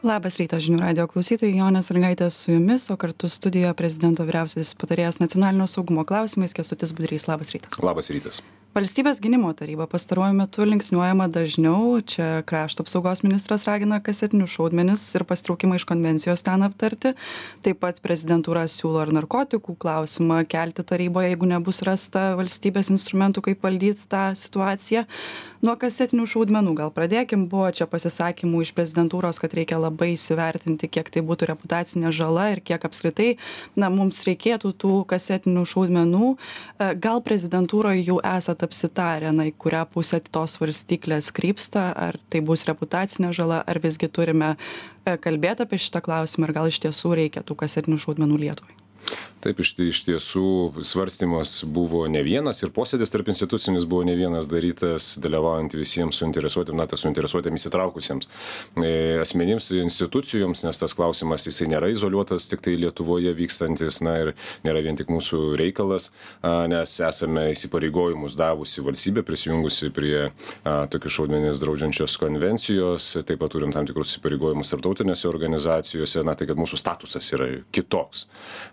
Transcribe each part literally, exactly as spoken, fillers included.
Labas rytas žinių radijo klausytojai, Jonė Sąlygaitė su jumis, o kartu studijoje prezidento vyriausiasis patarėjas nacionalinio saugumo klausimais Kęstutis Budrys. Labas rytas. Labas rytas. Valstybės gynimo taryba pastaruoju metu linksniuojama dažniau. Čia krašto apsaugos ministras ragina kasetinius šaudmenis ir pasitraukimą iš konvencijos ten aptarti. Taip pat prezidentūra siūlo ir narkotikų klausimą kelti taryboje, jeigu nebus rasta valstybės instrumentų, kaip valdyti tą situaciją. Nuo kasetinių šaudmenų gal pradėkim. Buvo čia pasisakymų iš prezidentūros, kad reikia labai įsivertinti, kiek tai būtų reputacinė žala ir kiek apskritai na, mums reikėtų tų kasetinių šaudmenų. Gal prezidentūroje jau esat apsitarę, na, į kurią pusę tos svarstyklės krypsta, ar tai bus reputacinė žala, ar visgi turime kalbėti apie šitą klausimą ir gal iš tiesų reikia tų kasetinių šaudmenų Lietuvai? Taip, iš, iš tiesų svarstymas buvo ne vienas ir posėdis tarp institucinis buvo ne vienas darytas, dalyvaujant visiems suinteresuotėms, na, tas suinteresuotėms įsitraukusiems e, asmenims, institucijoms, nes tas klausimas jisai nėra izoliuotas, tik tai Lietuvoje vykstantis, na ir nėra vien tik mūsų reikalas, a, nes esame įsipareigojimus davusi valstybė, prisijungusi prie a, tokių šaudmenis draudžiančios konvencijos, taip pat turim tam tikrus įsipareigojimus tarptautinėse organizacijose, na tai kad mūsų statusas yra kitoks.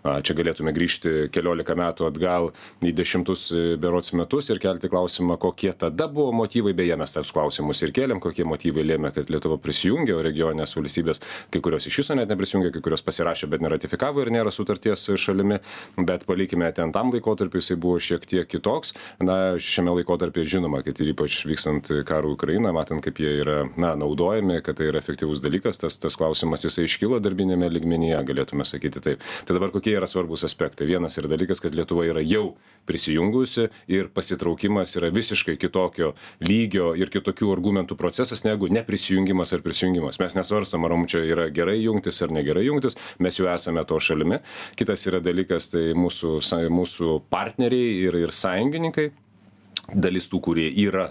A, čia galėtume grįžti keliolika metų atgal į dešimtus berods metus ir kelti klausimą, kokie tada buvo motyvai, beje, mes tas klausimus ir kėlėm, kokie motyvai lėmė, kad Lietuva prisijungė, o regioninės valstybės, kai kurios iš viso net neprisijungė, kai kurios pasirašė, bet neratifikavo ir nėra sutarties šalimi, bet palikime ten tam laikotarpiu, jisai buvo šiek tiek kitoks. Na, šiame laikotarpyje žinoma, kad ir ypač vykstant karų Ukrainą, matant, kaip jie yra, na, naudojami, kad tai yra efektyvus dalykas, tas, tas klausimas jisai iškilo darbinėme lygmenyje, galėtume sakyti taip. Tai dabar kokie yra svarbus aspektai. Vienas yra dalykas, kad Lietuva yra jau prisijungusi ir pasitraukimas yra visiškai kitokio lygio ir kitokių argumentų procesas negu neprisijungimas ar prisijungimas. Mes nesvarstom, ar mums čia yra gerai jungtis ar negerai jungtis, mes jau esame to šalimi. Kitas yra dalykas, tai mūsų, mūsų partneriai ir, ir sąjungininkai. Dalis tų, kurie yra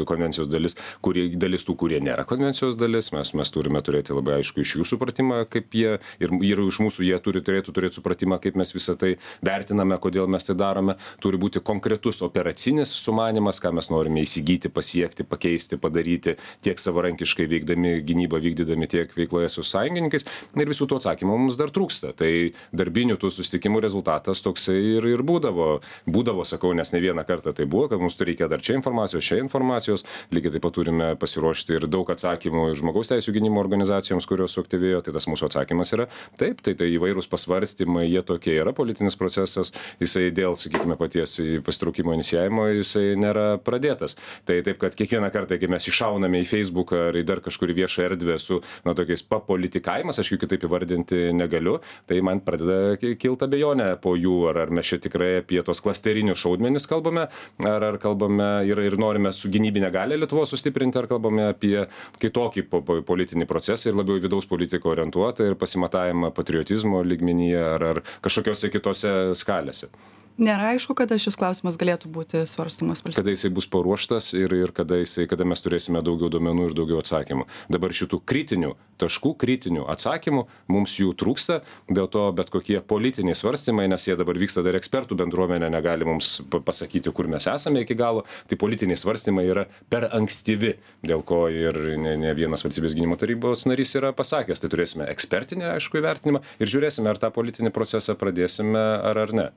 konvencijos dalis, kurie, dalis tų, kurie nėra konvencijos dalis, mes, mes turime turėti labai aišku iš jų supratimą, kaip jie, ir, ir iš mūsų jie turi turėtų turėti supratimą, kaip mes visą tai vertiname, kodėl mes tai darome. Turi būti konkretus operacinis sumanimas, ką mes norime įsigyti, pasiekti, pakeisti, padaryti, tiek savarankiškai veikdami gynybą, vykdydami tiek veikloje su sąjungininkais. Ir visų tų atsakymų mums dar trūksta. Tai darbinių tų susitikimų rezultatas toksai ir, ir būdavo. Būdavo, sakau, nes ne vieną kartą tai buvo, kad mums reikia dar čia informacijos, čia informacijos. Lygiai taip pat turime pasiruošti ir daug atsakymų žmogaus teisų gynimo organizacijoms, kurios suaktyvėjo. Tai tas mūsų atsakymas yra taip, tai, tai įvairūs pasvarstymai, jie tokie yra, politinis procesas, jisai dėl, sakykime, paties pasitraukimo inicijavimo, jisai nėra pradėtas. Tai taip, kad kiekvieną kartą, kai mes iššauname į Facebooką ar į dar kažkurį viešą erdvę su, na, tokiais papolitikavimas, aš jų kitaip įvardinti negaliu, tai man pradeda kilti abejonė po jų, ar, ar mes čia tikrai apie tos klasterinius šaudmenis kalbame, ar, ar kalbame ir, ir norime su gynybinė galia Lietuvos sustiprinti, ar kalbame apie kitokį po, po, politinį procesą ir labiau vidaus politiko orientuotą ir pasimatavimą patriotizmo lygmenyje ar, ar kažkokiose kitose skalėse. Nėra aišku, kada šis klausimas galėtų būti svarstomas valstybėje. Kada jisai bus paruoštas ir, ir kada, jisai, kada mes turėsime daugiau duomenų ir daugiau atsakymų. Dabar šitų kritinių taškų, kritinių atsakymų mums jų trūksta, dėl to bet kokie politiniai svarstymai, nes jie dabar vyksta dar ekspertų bendruomenė, negali mums pasakyti, kur mes esame iki galo, tai politiniai svarstymai yra per ankstyvi, dėl ko ir ne, ne vienas valstybės gynimo tarybos narys yra pasakęs, tai turėsime ekspertinį, aišku, įvertinimą ir žiūrėsime, ar tą politinį procesą pradėsime ar ar ne.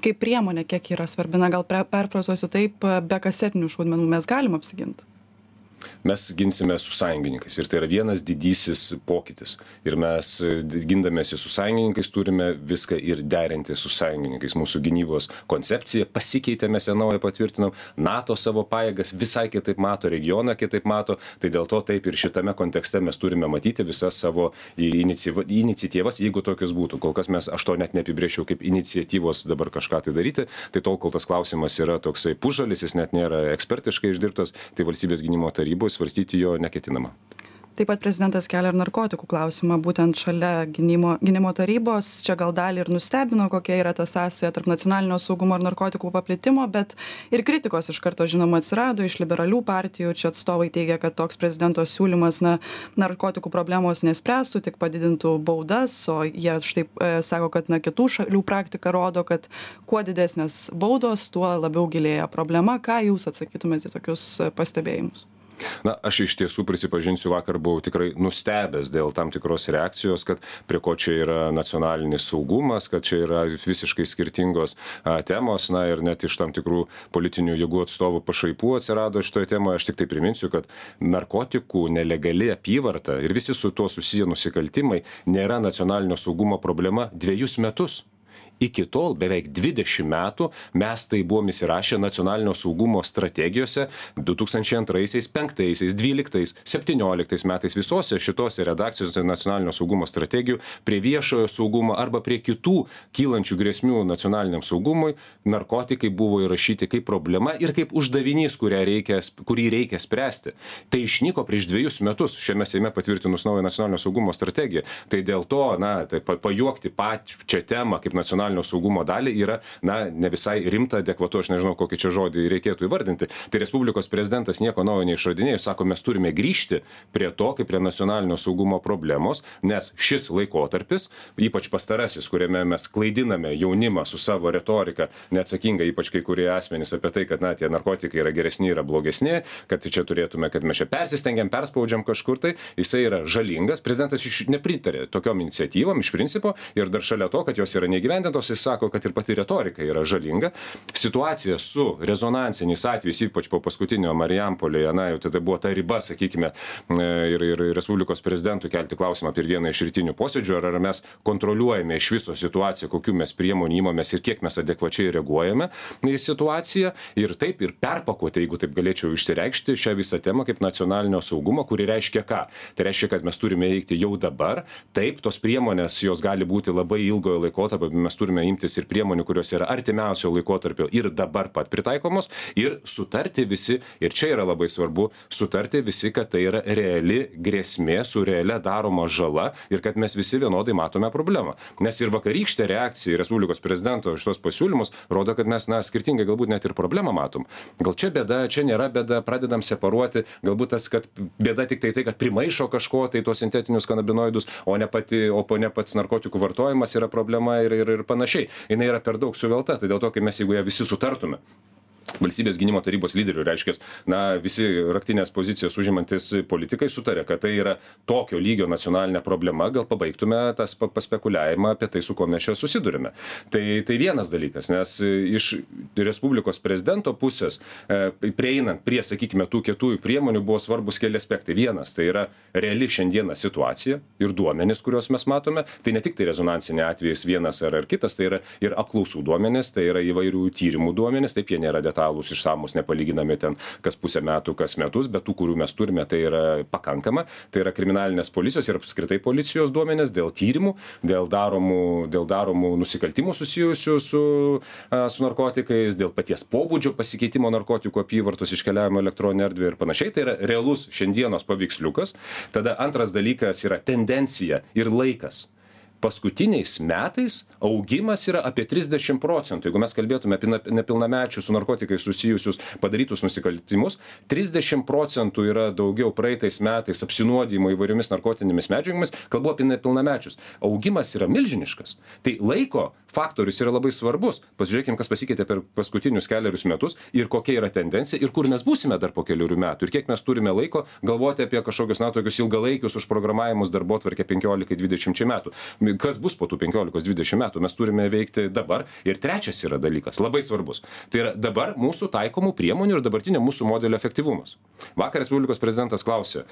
Kaip priemonė, kiek yra svarbi, na gal perfrazuosiu taip, be kasetinių šaudmenų mes galim apsiginti? Mes ginsime su sąjungininkais ir tai yra vienas didysis pokytis. Ir mes gindamėsi su sąjungininkais turime viską ir derinti su sąjungininkais. Mūsų gynybos koncepcija pasikeitė, mes ją naują patvirtinom, NATO savo pajėgas visai kitaip mato, regioną kitaip mato, tai dėl to taip ir šitame kontekste mes turime matyti visas savo iniciatyvas, jeigu tokios būtų. Kol kas mes, aš to net neapibrėžčiau kaip iniciatyvos dabar kažką tai daryti, tai tol, kol tas klausimas yra toksai pužalis, jis net nėra ekspertiškai išdirbtas, tai valstybės gynimo tarybos svarstyti jo neketinama. Taip pat prezidentas kelia ir narkotikų klausimą, būtent šalia gynimo, gynimo tarybos. Čia gal dalį ir nustebino, kokia yra ta sąsaja tarp nacionalinio saugumo ir narkotikų paplitimo, bet ir kritikos iš karto, žinoma, atsirado iš liberalių partijų. Čia atstovai teigia, kad toks prezidento siūlymas na, narkotikų problemos nespręstų, tik padidintų baudas, o jie štai e, sako, kad na, kitų šalių praktika rodo, kad kuo didesnės baudos, tuo labiau gilėja problema. Ką jūs atsakytumėte į tokius pastebėjimus? Na, aš iš tiesų prisipažinsiu, vakar buvau tikrai nustebęs dėl tam tikros reakcijos, kad prie ko čia yra nacionalinis saugumas, kad čia yra visiškai skirtingos a, temos, na ir net iš tam tikrų politinių jėgų atstovų pašaipų atsirado šitoje temoje. Aš tik tai priminsiu, kad narkotikų nelegali apyvarta ir visi su tuo susiję nusikaltimai nėra nacionalinio saugumo problema dviejus metus. Iki tol beveik dvidešimt metų mes tai buvom įsirašę nacionalinio saugumo strategijose du tūkstančiai antraisiais, penktaisiais, dvyliktais, septynioliktais metais visose šitose redakcijose nacionalinio saugumo strategijų prie viešojo saugumo arba prie kitų kylančių grėsmių nacionaliniam saugumui narkotikai buvo įrašyti kaip problema ir kaip uždavinys, reikia, kurį reikia spręsti. Tai išnyko prieš dviejus metus šiame Seime patvirtinus naują nacionalinio saugumo strategiją. Tai dėl to, na, tai pajuokti pačią temą kaip nacionalinio saugumo dalį yra, na, ne visai rimta, adekvatu, aš nežinau, kokį čia žodį reikėtų įvardinti. Tai Respublikos prezidentas nieko naujo neišradinėjo, sako, mes turime grįžti prie to, kaip prie nacionalinio saugumo problemos, nes šis laikotarpis, ypač pastarasis, kuriame mes klaidiname jaunimą su savo retorika, neatsakinga, ypač kai kurie asmenys apie tai, kad, na, tie narkotikai yra geresni, yra blogesni, kad čia turėtume, kad mes čia persistengiam, perspaudžiam kažkur, tai jisai yra žalingas. Prezidentas nepritarė tokiom iniciatyvom iš principo ir dar šalia to, kad jos yra neįgyvendintos, jis sako, kad ir pati retorika yra žalinga. Situacija su rezonansiniais atvejais, ypač po paskutinio Marijampolėje, na, jau tada buvo ta riba, sakykime, ir, ir Respublikos prezidentui kelti klausimą apie vieną iš rytinių posėdžių, ar, ar mes kontroliuojame iš viso situaciją, kokiu mes priemonių įmamės ir kiek mes adekvačiai reaguojame į situaciją ir taip ir perpakuoti, jeigu taip galėčiau išsireikšti, šią visą temą kaip nacionalinio saugumo, kuri reiškia ką? Tai reiškia, kad mes turime veikti jau dabar. Taip, tos priemonės, jos gali būti labai ilgojo laikotarpio, mes turime imtis ir priemonių, kurios yra artimiausio laikotarpio ir dabar pat pritaikomos ir sutarti visi, ir čia yra labai svarbu, sutarti visi, kad tai yra reali grėsmė su realia daroma žala ir kad mes visi vienodai matome problemą. Nes ir vakarykštė reakcija į Respublikos prezidento šitos pasiūlymus rodo, kad mes, na, skirtingai galbūt net ir problemą matom. Gal čia bėda, čia nėra bėda, pradedam separuoti, galbūt tas, kad bėda tik tai tai, kad primaišo kažko, tai tuos sintetinius kanabinoidus, o ne, pati, o ne pats narkotikų vartojimas yra problema ir, ir, ir panašiai. Jis yra per daug suvelta, tai dėl to, kai mes, jeigu ją visi sutartume, Valstybės gynimo tarybos lyderių, reiškia, na, visi raktinės pozicijas užimantis politikai sutarė, kad tai yra tokio lygio nacionalinė problema, gal pabaigtume tas paspekuliavimą apie tai, su kuo mes čia susidurime. Tai, tai vienas dalykas, nes iš Respublikos prezidento pusės e, prieinant prie, sakykime, tų kietųjų priemonių buvo svarbus keli aspektai. Vienas, tai yra reali šiandieną situacija ir duomenys, kuriuos mes matome. Tai ne tik tai rezonansinė atvejais vienas ar, ar kitas, tai yra ir apklausų duomenys, tai yra įvairių tyrimų duomenys, taip jie nėra detalūs, išsamus, nepalyginami ten kas pusę metų, kas metus, bet tų, kurių mes turime, tai yra pakankama. Tai yra kriminalinės policijos ir apskritai policijos duomenės dėl tyrimų, dėl daromų, dėl daromų nusikaltimų susijusių su, su narkotikais, dėl paties pobūdžio pasikeitimo narkotikų apyvartos iškeliavimo elektroninę erdvę ir panašiai. Tai yra realus šiandienos paveiksliukas. Tada antras dalykas yra tendencija ir laikas. Paskutiniais metais augimas yra apie trisdešimt procentų. Jeigu mes kalbėtume apie nepilnamečių su narkotikais susijusius padarytus nusikaltimus, trisdešimt procentų yra daugiau praeitais metais apsinuodijimo įvairiomis narkotinėmis medžiagomis, kalbu apie nepilnamečius. Augimas yra milžiniškas. Tai laiko faktorius yra labai svarbus. Pasižiūrėkime, kas pasikeitė per paskutinius keliarius metus ir kokia yra tendencija ir kur mes būsime dar po keliurių metų ir kiek mes turime laiko galvoti apie kažkokius, na, tokius ilgalaikius užprogramavimus darbotvarkę penkiolikai dvidešimčiai metų. Kas bus po tų penkiolikos dvidešimt metų, mes turime veikti dabar. Ir trečias yra dalykas, labai svarbus. Tai yra dabar mūsų taikomų priemonių ir dabartinio mūsų modelio efektyvumas. Vakar Respublikos prezidentas klausė,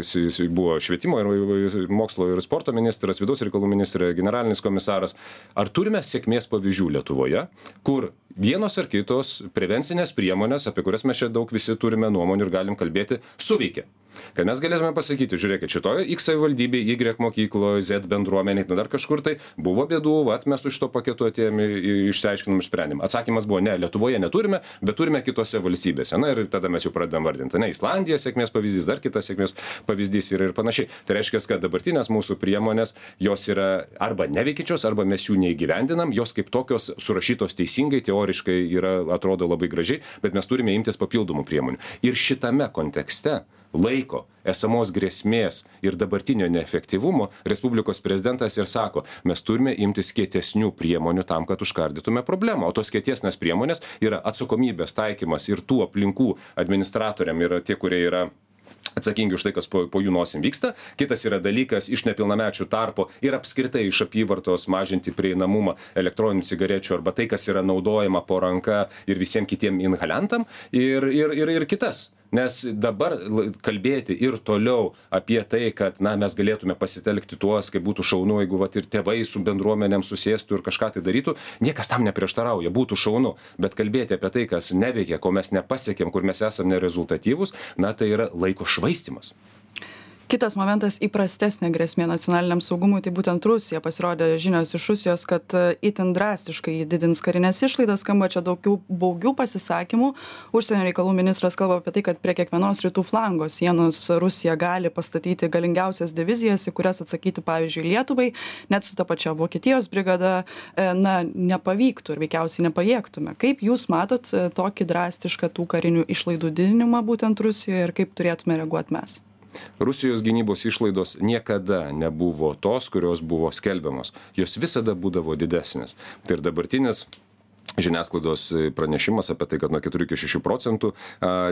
jis buvo švietimo ir mokslo ir sporto ministras, vidaus reikalų ministrė, generalinis komisaras, ar turime sėkmės pavyzdžių Lietuvoje, kur vienos ar kitos prevencinės priemonės, apie kurias mes čia daug visi turime nuomonių ir galim kalbėti, suveikia. Kad mes galėtume pasakyti, žiūrėkit, šitoje X savivaldybėje, Y mokykloje, Z bendruomeniai, dar kažkur tai buvo bėdų, vat mes su šito paketu atėjome, išsiaiškinom, išsprendėm. Atsakymas buvo, ne, Lietuvoje neturime, bet turime kitose valstybėse. Na ir tada mes jau pradedam vardinti. Ne, Islandija sėkmės pavyzdys, dar kitas sėkmės pavyzdys yra ir panašiai. Tai reiškia, kad dabartinės mūsų priemonės, jos yra arba neveikiančios, arba mes jų neįgyvendinam, jos kaip tokios surašytos teisingai, teoriškai yra, atrodo labai gražiai, bet mes turime imtis papildomų priemonių. Ir šitame kontekste laiko, esamos grėsmės ir dabartinio neefektyvumo Respublikos prezidentas ir sako, mes turime imtis kietesnių priemonių tam, kad užkardytume problemą. O tos kietesnės priemonės yra atsakomybės taikymas ir tų aplinkų administratoriam yra tie, kurie yra atsakingi už tai, kas po, po jų nosim vyksta. Kitas yra dalykas iš nepilnamečių tarpo ir apskritai iš apyvartos mažinti prieinamumą elektroninių cigarečių arba tai, kas yra naudojama po ranka ir visiems kitiem inhaliantam ir, ir, ir, ir kitas. Nes dabar kalbėti ir toliau apie tai, kad na, mes galėtume pasitelkti tuos, kaip būtų šaunu, jeigu vat, ir tėvai su bendruomenėm susėstų ir kažką tai darytų, niekas tam neprieštarauja, būtų šaunu. Bet kalbėti apie tai, kas neveikia, ko mes nepasiekėm, kur mes esame nerezultatyvūs, na tai yra laiko švaistymas. Kitas momentas - įprastesnė grėsmė nacionaliniam saugumui, tai būtent Rusija. Pasirodė žinios iš Rusijos, kad itin drastiškai didins karinės išlaidas, skamba čia daugiau baugių pasisakymų. Užsienio reikalų ministras kalba apie tai, kad prie kiekvienos rytų flango sienos Rusija gali pastatyti galingiausias divizijas, į kurias atsakyti, pavyzdžiui, Lietuvai, net su ta pačia Vokietijos brigada, na, nepavyktų ir veikiausiai nepajėgtume. Kaip jūs matot tokį drastišką tų karinių išlaidų didinimą būtent Rusijoje ir kaip turėtume reaguoti mes? Rusijos gynybos išlaidos niekada nebuvo tos, kurios buvo skelbiamos. Jos visada būdavo didesnės. Tai ir dabartinis žiniasklaidos pranešimas apie tai, kad nuo keturių iki šešių procentų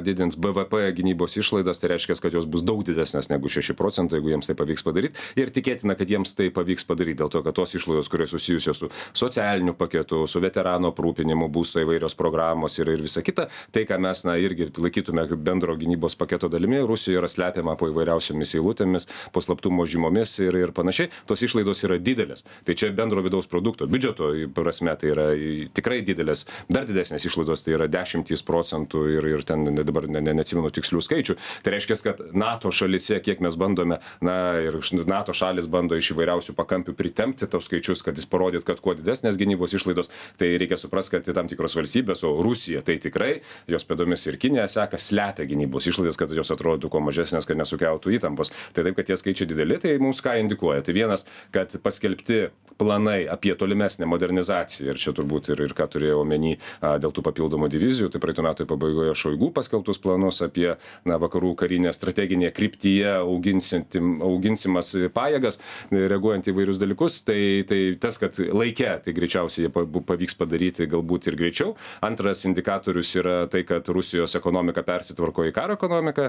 didins B V P gynybos išlaidas, tai reiškia, kad jos bus daug didesnės negu šeši procentai, jeigu jiems tai pavyks padaryti. Ir tikėtina, kad jiems tai pavyks padaryti, dėl to, kad tos išlaidos, kurios susijusios su socialiniu paketu, su veterano aprūpinimu, būsto įvairios programos ir, ir visa kita, tai, ką mes na, irgi laikytume bendro gynybos paketo dalimi, Rusijoje yra slepiama po įvairiausiomis eilutėmis, po slaptumo žymomis ir, ir panašiai. Tos išlaidos yra didelės. Tai čia bendro vidaus produkto, biudžeto prasme, tai yra tikrai didelės. Dar didesnės išlaidos, tai yra dešimtys procentų ir, ir ten dabar ne, ne, neatsimenu tikslių skaičių. Tai reiškia, kad NATO šalise, kiek mes bandome, na ir NATO šalis bando iš įvairiausių pakampių pritempti tos skaičius, kad jis parodyt, kad kuo didesnės gynybos išlaidos, tai reikia suprasti, kad tam tikros valstybės, o Rusija tai tikrai, jos pėdomis ir Kinija seka, slepia gynybos išlaidas, kad jos atrodytų kuo mažesnės, kad nesukeltų įtampos. Tai taip, kad tie skaičiai dideli, tai mums ką indikuoja. Tai vienas, kad paskelbti planai apie tolimesnę modernizaciją, ir čia turbūt ir, ir ką turėjau omeny dėl tų papildomų divizijų, tai praeitų metų pabaigoje Šoigu paskelbtus planus apie na, vakarų karinę strateginėje kryptyje auginsimas pajėgas, reaguojant į vairius dalykus, tai, tai tas, kad laike, tai greičiausiai pavyks padaryti galbūt ir greičiau. Antras indikatorius yra tai, kad Rusijos ekonomika persitvarko į karo ekonomiką.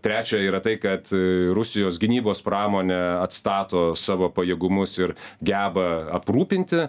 Trečia yra tai, kad Rusijos gynybos pramonė atstato savo pajėgumus ir geba aprūpinti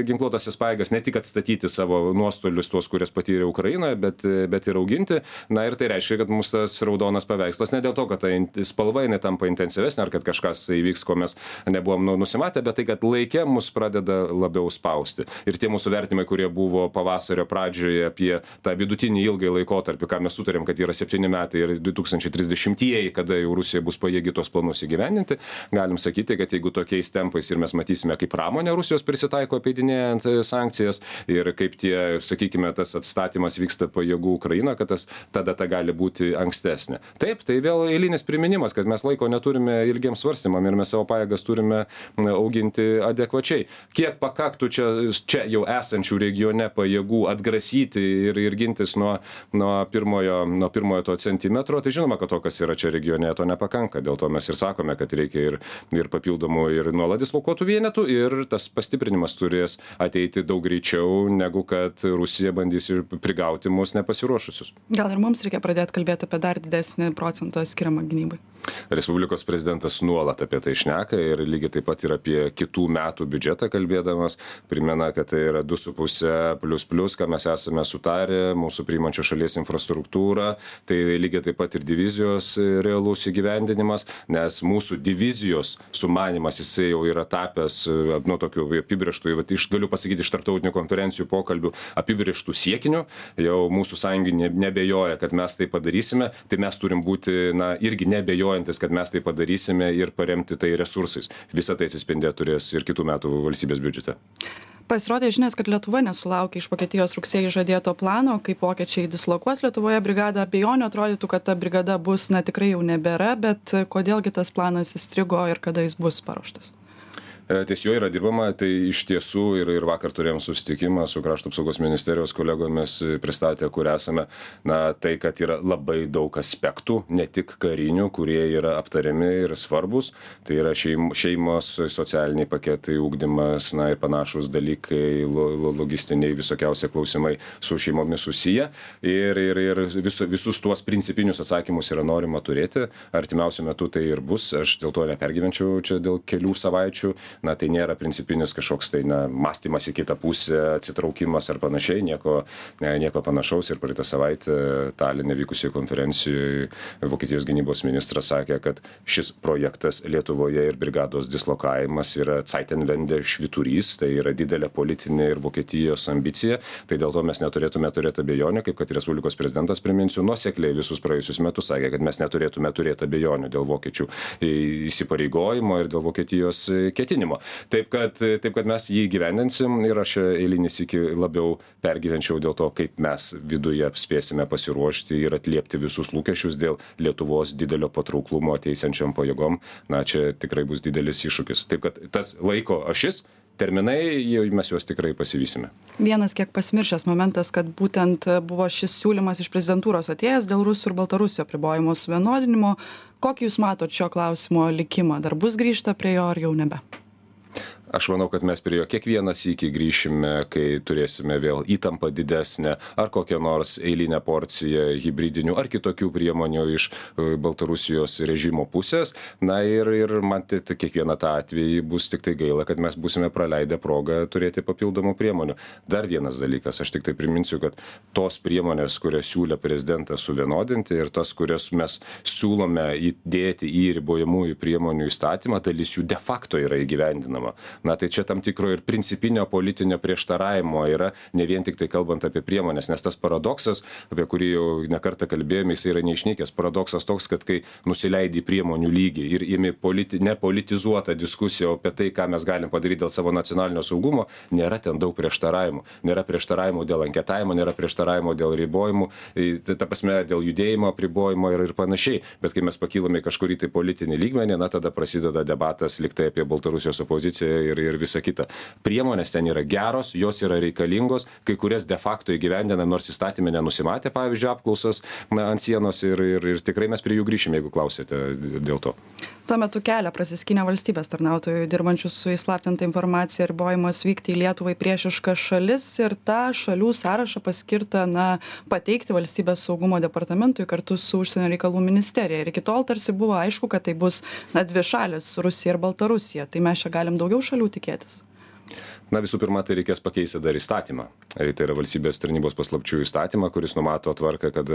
ginkluotasias pajėgas, ne tik atstatyti savo nuostolius tuos, kurias patyrė Ukrainoje, bet, bet ir auginti. Na ir tai reiškia, kad mūsų tas raudonas paveikslas ne dėl to, kad ta spalva jinai tampa intensyvesnė, ar kad kažkas įvyks, ko mes nebuvom nusimatę, bet tai, kad laike mus pradeda labiau spausti. Ir tie mūsų vertimai, kurie buvo pavasario pradžioje apie tą vidutinį ilgai laikotarpį, ką mes sutarėm, kad yra septyni metai ir du tūkstančiai trisdešimtieji, kada jau Rusija bus pajėgi tos planus įgyvendinti, galim sakyti, kad jeigu tokiais tempais ir mes matysime, kaip pramonė Rusijos prisitaiko apeidinėjant sankcijas ir kaip tie, sakykime, tas atstatymas vyksta pajėgų Ukraina, kad tas, ta data gali būti ankstesnė. Taip, tai vėl eilinis priminimas, kad mes laiko neturime ilgiems svarstymam ir mes savo pajėgas turime auginti adekvačiai. Kiek pakaktų čia, čia jau esančių regione pajėgų atgrasyti ir, ir gintis nuo, nuo, pirmojo, nuo pirmojo to centimetro, tai žinoma, kad to, kas yra čia regione, to nepakanka. Dėl to mes ir sakome, kad reikia ir, ir papildomų ir nuolat dislokuotų vienetų ir tas pastiprinimas turės ateiti daug greičiau, negu kad Rusija bandys ir prigauti mus nepasiruošusius. Gal ir mums reikia pradėti kalbėti apie dar didesnį procentą skiriamą gynybai? Respublikos prezidentas nuolat apie tai šneka ir lygiai taip pat ir apie kitų metų biudžetą kalbėdamas primena, kad tai yra du su puse plius plius, ką mes esame sutarę, mūsų priimančios šalies infrastruktūra, tai lygiai taip pat ir divizijos realus įgyvendinimas, nes mūsų divizijos sumanimas jisai jau yra tapęs, nu, tokiu apibrėžtų, iš, galiu pasakyti, iš tarptautinių konferencijų pokalbių apibrėžtų siekinių, jau mūsų sąjungininkai nebejoja, kad mes tai padarysime, tai mes turim būti, na, irgi nebejojantis, kad mes tai padarysime ir paremti tai resursais. Visą tai atsispindėti turės ir kitų metų valstybės biudžete. Pasirodė žinias, kad Lietuva nesulaukė iš Vokietijos rugsėjį žadėto plano, kaip vokiečiai dislokuos Lietuvoje brigadą. Abejonių atrodytų, kad ta brigada bus, na, tikrai jau nebėra, bet kodėlgi tas planas įstrigo ir kada jis bus paruoštas? Ties juo yra dirbama, tai iš tiesų ir, ir vakar turėjom susitikimą su Krašto apsaugos ministerijos kolegomis, pristatė, kur esame. Na, tai, kad yra labai daug aspektų, ne tik karinių, kurie yra aptariami ir svarbus. Tai yra šeim, šeimos, socialiniai paketai, ugdymas, na ir panašus dalykai, lo, logistiniai visokiausia klausimai su šeimomis susiję. Ir, ir, ir vis, visus tuos principinius atsakymus yra norima turėti. Artimiausiu metu tai ir bus. Aš dėl to nepergyvenčiau čia dėl kelių savaičių. Na, tai nėra principinis kažkoks tai, na, mąstymas į kitą pusę, atsitraukimas ar panašiai, nieko, nieko panašaus. Ir praeitą savaitę Taline vykusioje konferencijoje Vokietijos gynybos ministras sakė, kad šis projektas Lietuvoje ir brigados dislokavimas yra Zeitenwende švyturys, tai yra didelė politinė ir Vokietijos ambicija. Tai dėl to mes neturėtume turėti abejonių, kaip kad Respublikos prezidentas, priminsiu, nuosekliai visus praėjusius metus sakė, kad mes neturėtume turėti abejonių dėl vokiečių įsipareigojimo ir dėl Vokietijos ketinimo. Taip kad, taip, kad mes jį gyvendinsim ir aš eilinis iki labiau pergyvenčiau dėl to, kaip mes viduje spėsime pasiruošti ir atliepti visus lūkesčius dėl Lietuvos didelio patrauklumo ateisiančiam pajėgom. Na, čia tikrai bus didelis iššūkis. Taip kad tas laiko ašis, terminai, mes juos tikrai pasivysime. Vienas kiek pasimiršęs momentas, kad būtent buvo šis siūlymas iš prezidentūros atėjęs dėl Rusų ir Baltarusių apribojimo suvienodinimo. Kokį jūs matot šio klausimo likimą? Dar bus grįžta prie jo ar jau nebe? Aš manau, kad mes prie jo kiekvieną sykį grįšime, kai turėsime vėl įtampą didesnę ar kokią nors eilinę porciją hibridinių ar kitokių priemonių iš Baltarusijos režimo pusės. Na ir, ir man tai kiekvieną tą atvejį bus tik tai gaila, kad mes būsime praleidę progą turėti papildomų priemonių. Dar vienas dalykas, aš tik tai priminsiu, kad tos priemonės, kurias siūlė prezidentas suvienodinti ir tas, kurias mes siūlome įdėti į ribojamųjų priemonių įstatymą, dalis jų de facto yra įgyvendinama. Na tai čia tam tikro ir principinio politinio prieštaravimo yra, ne vien tik tai kalbant apie priemonės, nes tas paradoksas, apie kurį jau nekartą kalbėjome, jis yra neišnykęs. Paradoksas toks, kad kai nusileidai priemonių lygį ir imi politi, nepolitizuotą diskusiją apie tai, ką mes galim padaryti dėl savo nacionalinio saugumo, nėra ten daug prieštaravimų. Nėra prieštaravimų dėl anketavimo, nėra prieštaravimų dėl ribojimų, ta prasme dėl judėjimo apribojimo ir, ir panašiai. Bet kai mes pakylame kažkurį tai politinį lygmenį, na tada prasideda debatas liktai apie Baltarusijos opoziciją ir, ir visa kita. Priemonės ten yra geros, jos yra reikalingos, kai kurias de facto įgyvendina, nors įstatymė nenusimatė, pavyzdžiui, apklausas na, ant sienos ir, ir, ir tikrai mes prie jų grįšime, jeigu klausėte dėl to. Tuo metu kelia prasiskinę valstybės tarnautojų dirbančių su įslaptinta informacija ribojimas vykti į Lietuvą į priešiškas šalis ir tą šalių sąrašą paskirta na, pateikti valstybės saugumo departamentui kartu su užsienio reikalų ministerija. Ir iki tol tarsi buvo aišku, kad tai bus na, dvi šalis - Rusija ir Baltarusija. Tai mes čia galim daugiau šalių tikėtis? Na visų pirma, tai reikės pakeisti dar įstatymą. Tai yra valstybės tarnybos paslapčių įstatymą, kuris numato tvarką, kad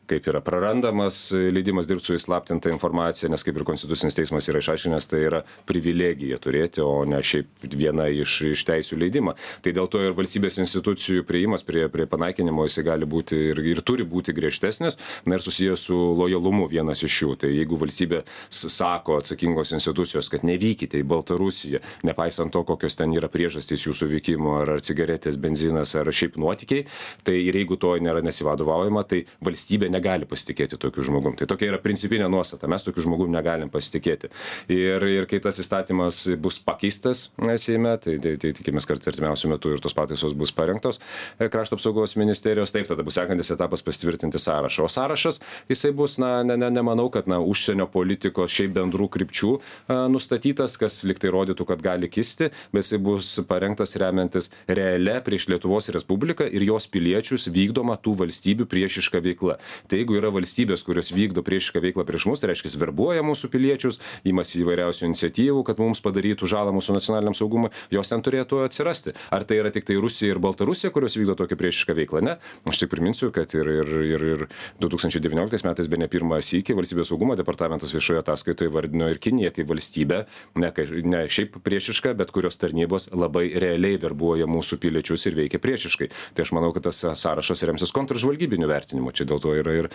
kaip yra prarandamas leidimas dirbti su įslaptinta informacija, nes kaip ir Konstitucinis teismas yra išaiškinęs, tai yra privilegija turėti, o ne šiaip viena iš, iš teisių leidimą. Tai dėl to ir valstybės institucijų prieimas prie, prie panaikinimo jisai gali būti ir, ir turi būti griežtesnis, na ir susijęs su lojalumu vienas iš jų. Tai jeigu valstybė sako atsakingos institucijos, kad nevykite į Baltarusiją, nepaisant to, kokios ten yra priežastys jūsų vykimo, ar, ar cigaretės, benzinas, ar šiaip nuotykiai, tai ir jeigu to nėra nesivadovaujama, tai valstybė negali pasitikėti tokiu žmogum. Tai tokia yra principinė nuostata, mes tokiu žmogum negalim pasitikėti. Ir, ir kai tas įstatymas bus pakeistas Seime, tai, tai, tai tikimės, kad artimiausiu metu ir tos pataisos bus parengtos Krašto apsaugos ministerijos, taip, tada bus sekantis etapas pasitvirtinti sąrašą. O sąrašas, jisai bus, na, ne, ne, nemanau, kad na, užsienio politikos šiaip bendrų krypčių a, nustatytas, kas liktai rodytų, kad gali kisti, bet jisai bus parengtas remiantis realia prieš Lietuvos Respubliką ir jos piliečius vykdoma tų valstybių priešiška veikla. Tai jeigu yra valstybės, kurios vykdo priešišką veiklą prieš mus, tai reiškia verbuoja mūsų piliečius, imasi įvairiausių iniciatyvų, kad mums padarytų žalą mūsų nacionaliniam saugumui, jos ten turėtų atsirasti. Ar tai yra tik tai Rusija ir Baltarusija, kurios vykdo tokią priešišką veiklą? Ne. Aš tik priminsiu, kad ir, ir, ir, ir du tūkstančiai devynioliktais metais bene pirmą sykį valstybės saugumo departamentas viešoje ataskaitoje vardino ir Kiniją kaip valstybę, ne, ne šiaip priešišką, bet kurios tarnybos labai realiai verbuoja mūsų piliečius ir veikia priešiškai. Tai aš manau, kad tas sąrašas remsis kontržvalgybiniu vertinimu. Čia dėl to yra ir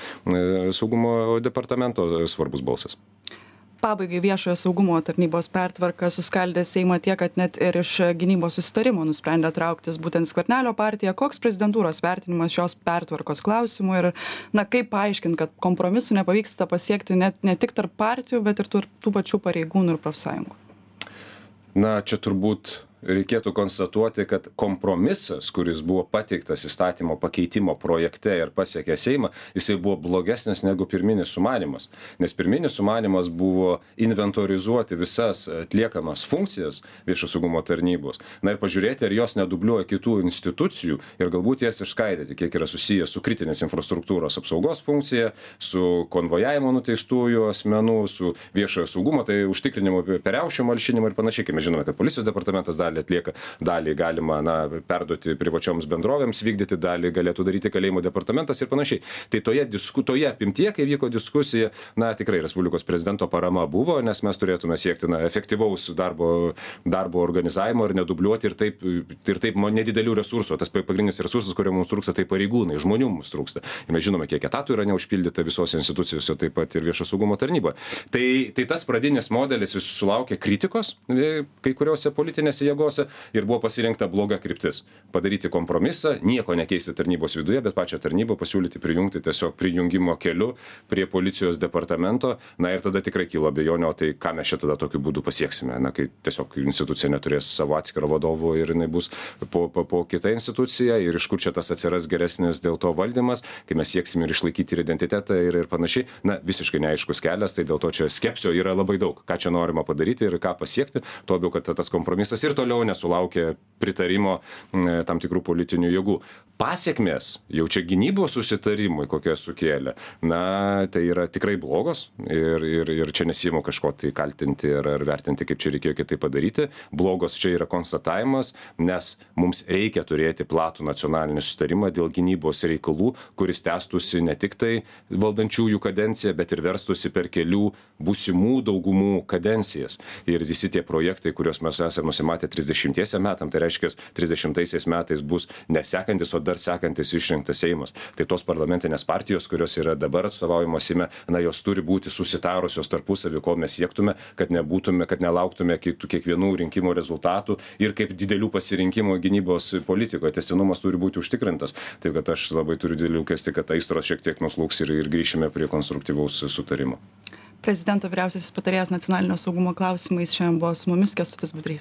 saugumo departamento svarbus balsas. Pabaigai viešojo saugumo tarnybos pertvarka suskaldė Seimą tiek, kad net ir iš gynybos susitarimo nusprendė trauktis būtent Skvernelio partija. Koks prezidentūros vertinimas šios pertvarkos klausimų ir na, kaip paaiškinti, kad kompromisų nepavyksta pasiekti net ne tik tarp partijų, bet ir tų, tų pačių pareigūnų ir profsąjungų? Na, čia turbūt reikėtų konstatuoti, kad kompromisas, kuris buvo pateiktas įstatymo pakeitimo projekte ir pasiekė Seimą, jisai buvo blogesnis negu pirminis sumanymas. Nes pirminis sumanymas buvo inventorizuoti visas atliekamas funkcijas viešo saugumo tarnybos. Na ir pažiūrėti, ar jos nedubliuoja kitų institucijų ir galbūt jas išskaidyti, kiek yra susijęs su kritinės infrastruktūros apsaugos funkcija, su konvojavimo nuteistųjų asmenų, su viešojo saugumo, tai užtikrinimu per riaušių malšinimą ir panašiai. Mes žinome, kad policijos departamentas dalį atlieka, dalį galima na, perduoti privačioms bendrovėms vykdyti, dalį galėtų daryti kalėjimo departamentas ir panašiai. Tai toje, disku, toje apimtyje, kai vyko diskusija, na tikrai Respublikos prezidento parama buvo, nes mes turėtume siekti na, efektyvaus darbo, darbo organizavimo ir nedubliuoti ir taip, ir taip nedidelių resursų. Tas pagrindinis resursas, kurio mums trūksta, tai pareigūnai, žmonių mums trūksta. Ir mes žinome, kiek etatų yra neužpildyta visose institucijose, taip pat ir viešo saugumo tarnyboje. Tai, tai tas pradinis modelis jis sulaukė kritikos kai kuriuose politinėse jėgose ir buvo pasirinkta bloga kryptis. Padaryti kompromisą, nieko nekeisti tarnybos viduje, bet pačią tarnybą pasiūlyti prijungti tiesiog prijungimo keliu prie policijos departamento. Na ir tada tikrai kilo abejonių, o tai ką mes čia tada tokiu būdu pasieksime, na, kai tiesiog institucija neturės savo atskiro vadovo ir jinai bus po, po, po kita institucija ir iš kur čia tas atsiras geresnis dėl to valdymas, kai mes sieksime ir išlaikyti ir identitetą ir, ir panašiai. Na, visiškai neaiškus kelias, tai dėl to čia skepsio yra labai daug, ką čia norima padaryti ir ką pasiekti, tuo labiau, kad tas kompromisas ir toliau nesulaukė pritarimo tam tikrų politinių jėgų. Pasiekmės jau čia gynybos susitarimui, kokie sukėlė, na, tai yra tikrai blogos ir, ir, ir čia nesiimu kažko tai kaltinti ar, ar vertinti, kaip čia reikėjo kitaip padaryti. Blogos čia yra konstatavimas, nes mums reikia turėti platų nacionalinį susitarimą dėl gynybos reikalų, kuris tęstųsi ne tik tai valdančiųjų kadenciją, bet ir verstųsi per kelių būsimų daugumų kadencijas. Ir visi tie projektai, kuriuos mes esame nusimatę trisdešimtiesiem metam, tai reiškia trisdešimtaisiais metais bus nesekantis, o dar sekantis išrinktas Seimas. Tai tos parlamentinės partijos, kurios yra dabar atstovaujamos Seime, na, jos turi būti susitarusios tarpusavį, ko mes siektume, kad nebūtume, kad nelauktume kitų kiekvienų rinkimų rezultatų ir kaip didelių pasirinkimų gynybos politikoje. Tęstinumas turi būti užtikrintas. Taip kad aš labai turiu didelį lūkestį, kad aistros šiek tiek nuslūgs ir, ir grįšime prie konstruktyvaus sutarimo. Prezidento vyriausiasis patarėjas nacionalinio saugumo klausimais šiandien buvo su mumis Kęstutis Budrys.